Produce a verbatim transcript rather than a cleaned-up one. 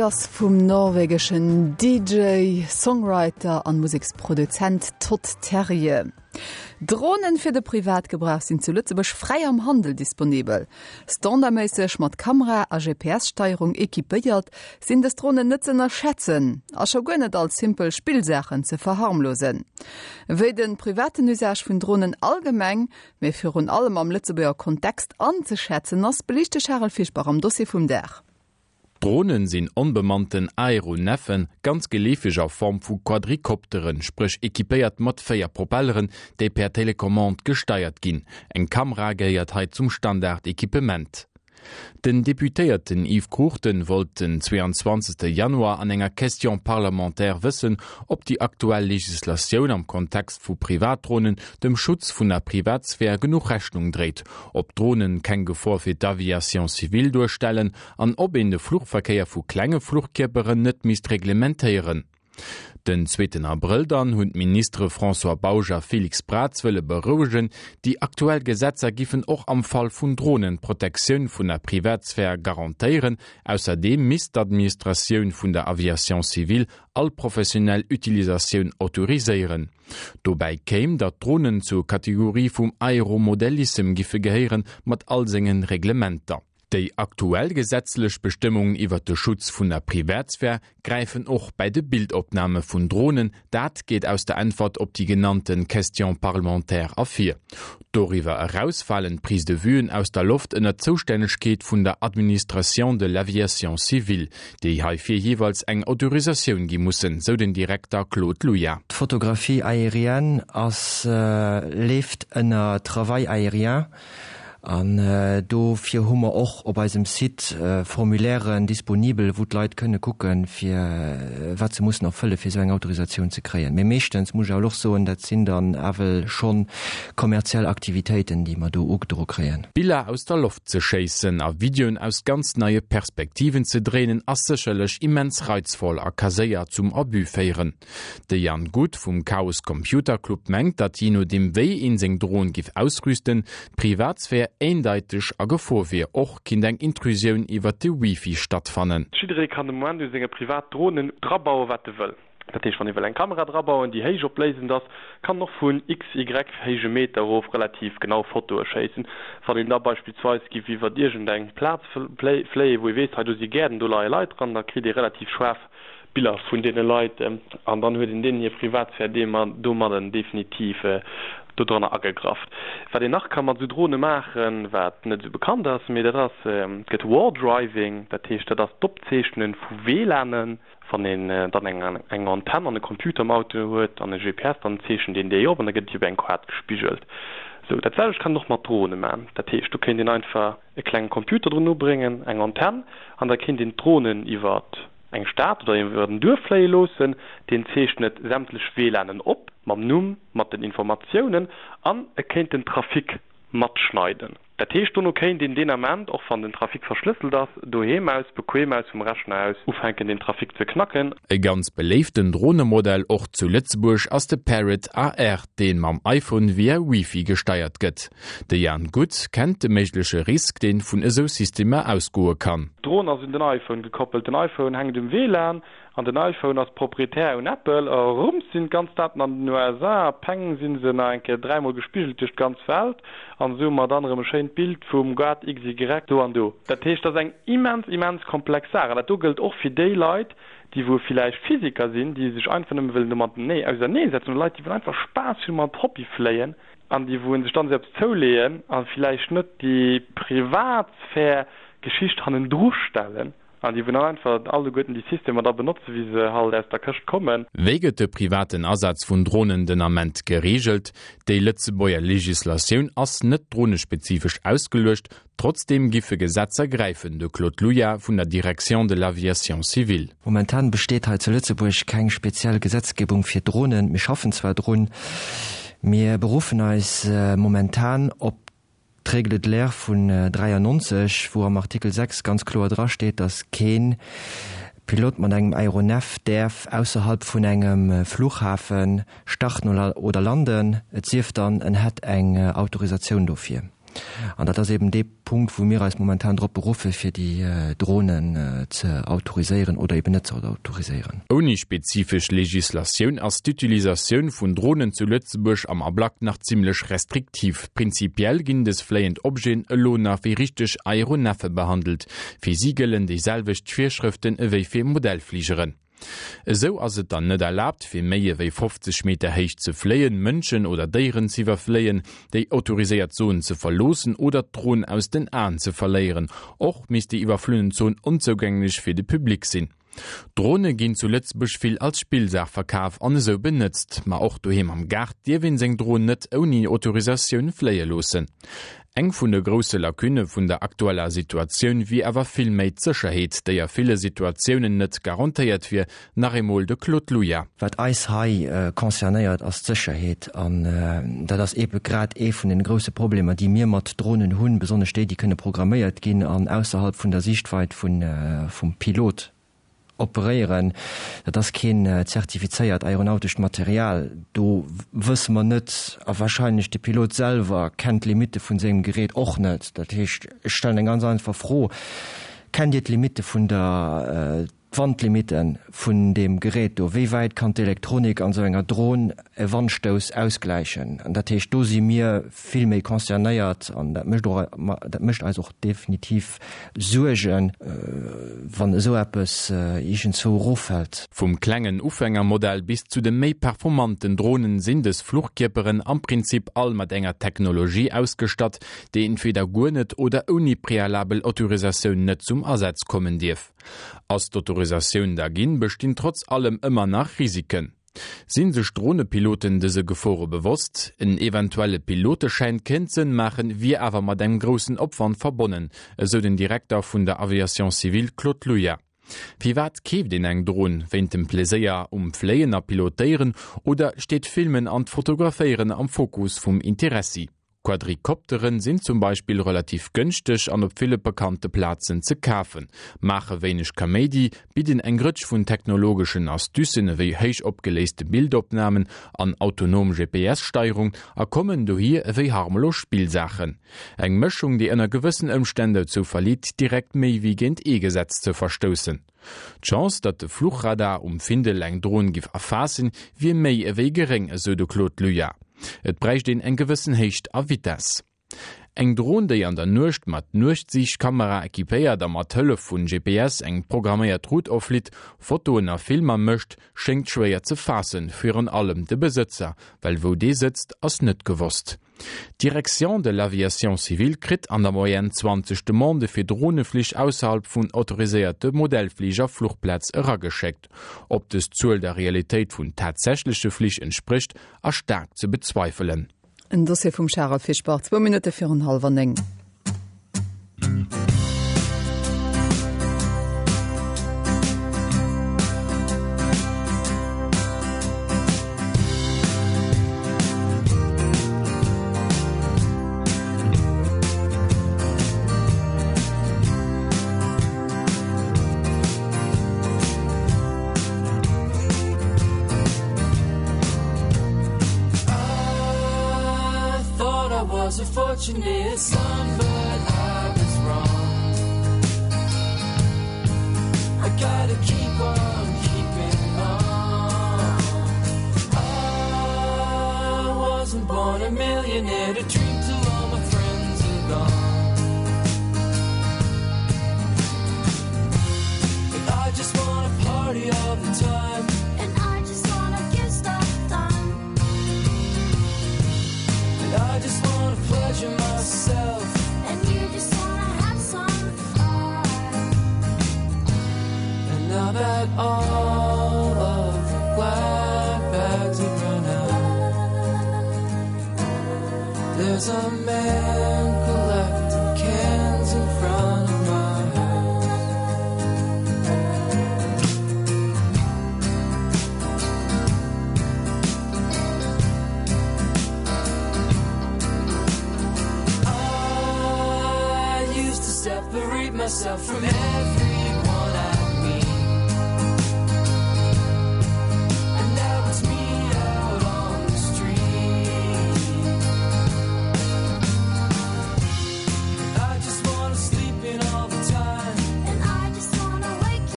Ass vum norwegeschen D J, Songwriter an Museksproduzent Todd Terje. Dronen fir de Privatgebrauch sinn zu Lëtzebuerg fräi am Handel disponibel. Standardméisseg mat Kamera a G P S-Steierung equipéiert, sinn dës Dronen net ze ënnerschätzen a scho guer net als simpel Spillsaachen ze verharmlosen. Wéi den privaten Usage vun Dronen allgemeng, mee virun allem am Lëtzebuerger Kontext anzeschätzen ass, beliicht de Charel Fischbach am Dossier vum Dag. Dronen sinn onbemannten Aeroneffen, ganz geleefeg a Form vu Quadrikopteren, spréch equipéiert mat véier Propelleren, déi per Telecommande gesteiert ginn. Eng Kamera gehéiert hei zum Standard-Equipement. Den Deputéierten Yves Cruchten wollt den zweeanzwanzegste Januar an enger Question parlementaire wëssen, ob déi aktuell Legislatioun am Kontext vu Privatdronen dem Schutz vun der Privatsphär genuch Rechnung dréit, ob Dronen keng Gefor fir d'Aviation civile duerstellen an ob een de Fluchverkéier vu klenge Fluchkierperen net misst reglementéieren. Den zweeten Abrëll dann hunn d'Ministere François Bausch a Félix Braz wëlle berouegen, déi aktuell Gesetzer géifen och am Fall vun Dronen d'Protektioun vun der Privatsphär garantéieren. Ausserdeem misst d'Administratioun vun der Aviation civile all professionell Utilisatioun autoriséieren. Dobäi kéim, datt Dronen zur Kategorie vum Aeromodellissem géife gehéieren, mat all senge Reglementer. Déi aktuell gesetzlech Bestëmmungen iwwer de Schutz vun der Privatsphär gräifen och bei de Bildopname vun Dronen, dat geet aus der Äntwert op déi genannte Question parlementaire ervir. Doriwwer eraus falen Prise de Vuen aus der Loft ënner d'Zoustännegkeet vun der Administration de l'aviation civile, déi heifir jeeweils eng Autorisatioun gi mussen, sou den Direkter Claude Luja. D'Photographie aérienne ass äh, leeft ënner Travail aérien an äh, dofir hu mer och op eisem Site äh, Formulairen disponibel, wou d'Leit kënne kucken, fir äh, wat se mussen erfëlle fir sou eng Autorisatioun ze kréien. Mee meeschtens muss ech och soen, dat sinn dann awer schonn kommerziell Aktivitéiten, déi mer do ugedro kréien. Biller aus der Loft ze schéissen a Videoen aus ganz neie Perspektiven ze dréinen ass sécherlech immens reizvoll a ka séier zum Abus féieren. De Jan Guth vum Chaos Computer Club mengt, datt jee nodeem wéi een seng Dron géif ausrüsten, d'Privatsphär eendeiteg a Gefor wier, och kinnt eng Intrusioun iwwer de Wifi stattfannen. Jidderee kann de Moment u senge privat Dronen drabaue wat e wëll. Dat heescht, wann ee wëll eng Kamera drabauen, déi héichopléisend ass, kann och vun X Y héije Meter erof relativ genau Fotoe schéissen. Wann een da beispillsweis géif iwwer iergendeng Plaz fléien, wou ee weess, hei do si Gäerden, do leie Leit dran, da kritt ee relativ schaarf Biller vun deene Leit an dann huet een deenen hir Privatsphär domadden definitiv dodranner agegraff. Wat een nach ka mat sou Drone maachen, wat net sou bekannt ass, mee dat ass gëtt War Driving, dat heescht dat ass d'Opzeechne vu W LANen. Wann een dann eng eng Antenn an e Computer am Auto huet an e G P S, dann zeechent een déi op an da gëtt déi op eng Kaart gespigelt. Sou dat selwecht kann een och mat Drone maachen. Dat heescht do kéint een einfach e klenge Computer drun ubréngen, eng Antenn an da kéint een d'Dronen iwwer eng Stad oder iwwer en Duerf fléie loossen, deen zeechnet sämtlech W LANen op mam Numm, mat den Informatiounen an e kéint den Trafic matschneiden. Dat heescht dono kéint een deen Ament, och wann den Trafic verschlësselt ass, doheem aus, bequem aus vum Rechner aus ufänken den Trafic ze knacken. E ganz beléiften Dronemodell och zu Lëtzebuerg ass de Parrot A R, deen mam iPhone via Wifi gesteiert gëtt. De Jan Guth kennt de méigleche Risk, deen vun esou Systemer ausgoe kann. D'Dron ass un den iPhone gekoppelt. Den iPhone hänkt um W LAN an den iPhone ass proprietär un Apple. Rums sinn d'ganz Daten an den U S A, peng sinn se nach eng Kéier dräimol gespigelt duerch d'ganz Welt an sou hu mer dann erëm e schéint Bild vum Gaart X Y do an do. Dat heescht, dat ass eng immens, immens komplex Saach an dat do gëllt och fir déi Leit, déi wou villäicht Physiker sinn, déi sech einfach nëmme wëllen domat auserneesetzen, oder Leit, déi wëllen einfach Spaass hunn mat Hobbyfléien an déi wou sech dann esou eppes zouleeën a villäicht net déi Privatsphär Geschicht hannendru stellen an déi wou dann einfach alleguerten déi Systemer da benotzen, wéi se halt aus der Këscht kommen. Wéi gëtt de privaten Asaz vun Dronen den Ament gereegelt? Déi Lëtzebuerger Legislatioun ass net dronespezifesch ausgeluecht, trotzdeem géife Gesetzer gräifen, de Claude Luja vun der Direction de l'aviation civile. Momentan besteet hei zu Lëtzebuerg keng speziell Gesetzgebung fir Dronen. Mir schaffen zwar drun, mir beruffen eis momentan op d'Règle de l'air vun dräiannonzeg, wou am Artikel sechs ganz kloer drasteet, datt kee Pilot mat engem Aéronef däerf ausserhalb vun engem Fluchhafe starten oder landen, et sief dann en hätt eng Autorisatioun dofir. An dat ass eben dee Punkt, wou mir eis momentan drop beruffe fir déi Dronen ze autoriséieren oder eben net ze autoriséieren. Ouni spezifesch Legislatioun ass d'Utilisatioun vun Dronen zu Lëtzebuerg am Ablack nach zimmlech restriktiv. Prinzipiell ginn dës fléiend Objeten elo nach wéi richteg Aeroneffe behandelt. Fir si gëllen déi selwecht Virschrëften ewéi fir Modellfligeren. Esou ass et dann net erlaabt, fir méi ewéi fofzeg Meter héich ze fléien, Mënschen oder Déieren z'iwwerfléien, déi autoriséiert Zon ze verloossen oder d'Dron aus den Aen ze verléieren. Och misst déi iwwerflunnen Zon onzougänglech fir de Public sinn. Drone ginn zu Lëtzebuerg vill als Spillsaach verkaf an esou benëtzt. Ma och doheem am Gaart dierf een seng Dron net ouni Autorisatioun fléie loossen. Eng vun de grousse Lacunne vun der aktueller Situatioun wier awer vill méi d'Sécherheet, déi a ville Situatiounen net garantéiert wier, nach eemol de Claude Luja. Wat eis hei concernéiert, ass d'Sécherheet. An dat ass eebe grad ee vun den grousse Problemer, déi mir mat Dronen hunn, besonnesch déi, déi kënne programméiert ginn an ausserhalb vun der Siichtweit vum Pilot operéieren. Dat ass keen zertifizéiert aeronautescht Material. Do wësse mer net, a wahrscheinlech de Pilot selwer kennt d'Limitte vun sengem Gerät och net. Dat heescht, ech stellen eng ganz einfach Fro, Kennt Dir d'Limitte vun der, d'Wandlimitten vun deem Gerät do? Wéi wäit kann d'Elektronik an esou enger Dron e Wandstouss ausgläichen? An dat heescht, do si mir vill méi concernéiert an dat mécht och, dat mécht eis och definitiv Suergen, wann esou eppes iergendzwou eroffält. Vum klengen Ufängermodell bis zu de méi performanten Dronen sinn dës Fluchkierperen am Prinzip all mat enger Technologie ausgestatt, déi entweder guer net oder ouni prealabel Autorisatioun net zum Asaz kommen dierf. Ass d'Autorisatioun da ginn, bestinn trotz allem ëmmer nach Risiken. Sinn sech Dronepiloten dëse Gefore bewosst? En eventuelle Piloteschäin kéint Sënn maachen, wier awer mat engem groussen Opwand verbonnen, esou den Direkter vun der Aviation civile Claude Luja. Firwat keeft een eng Dron? Wéint dem Pleséier um Fléien a Pilotéieren oder steet d'Filmen an d'Fotograféieren am Fokus vum Interessi? Quadrikopteren sinn zum Beispill relativ gënschteg an op ville bekannte Plazen ze kafen, maache wéineg Kaméidi, bidden eng Rëtsch vun technologeschen Astucen ewéi héich opgeléiste Bildopnamen an autonom G P S-Steierung a kommen dohier ewéi harmlos Spillsaachen. Eng Mëschung, déi ënner gewëssen Ëmstänn dozou verleet, direkt méi wéi géint ee Gesetz ze verstoussen. D'Chance, datt de Fluchradar um Findel eng Dron giff erfaassen, wier méi ewéi geréng, esou de Claude Luja. Et bräicht een eng gewëssen Héicht a Vitess. Eng Dron, déi an der Nuecht mat Nuechtsiichtkamera equipéiert a mat Hëllef vun G P S eng programméiert Route offlitt, Fotoen a Filmer mécht, schéngt schwéier ze faassen, virun allem de Besëtzer, well wou dee sëtzt, ass net gewosst. D'Direction de l'aviation civile kritt an der Moyenne zwanzeg Demandë fir Droneflich ausserhalb vun autoriséierte Modellfliger-Fluchplaz erageschéckt. Ob dës Zuel der Realitéit vun tatsächleche Flich entsprécht, ass staark ze bezweifelen. En Dossier vum Charel Fischbach, zwou Minutte virun hallwer néng. Fortunate son, but I was wrong. I gotta keep on keeping on. I wasn't born a millionaire to drink till all my friends are gone. But I just wanna party all the time. And I just wanna get stuff done. And I just wanna pleasure myself. And you just wanna have some fun. And now that all of the glad bags have run out, there's a man collecting cans in front of my house. I used to separate myself from everyone.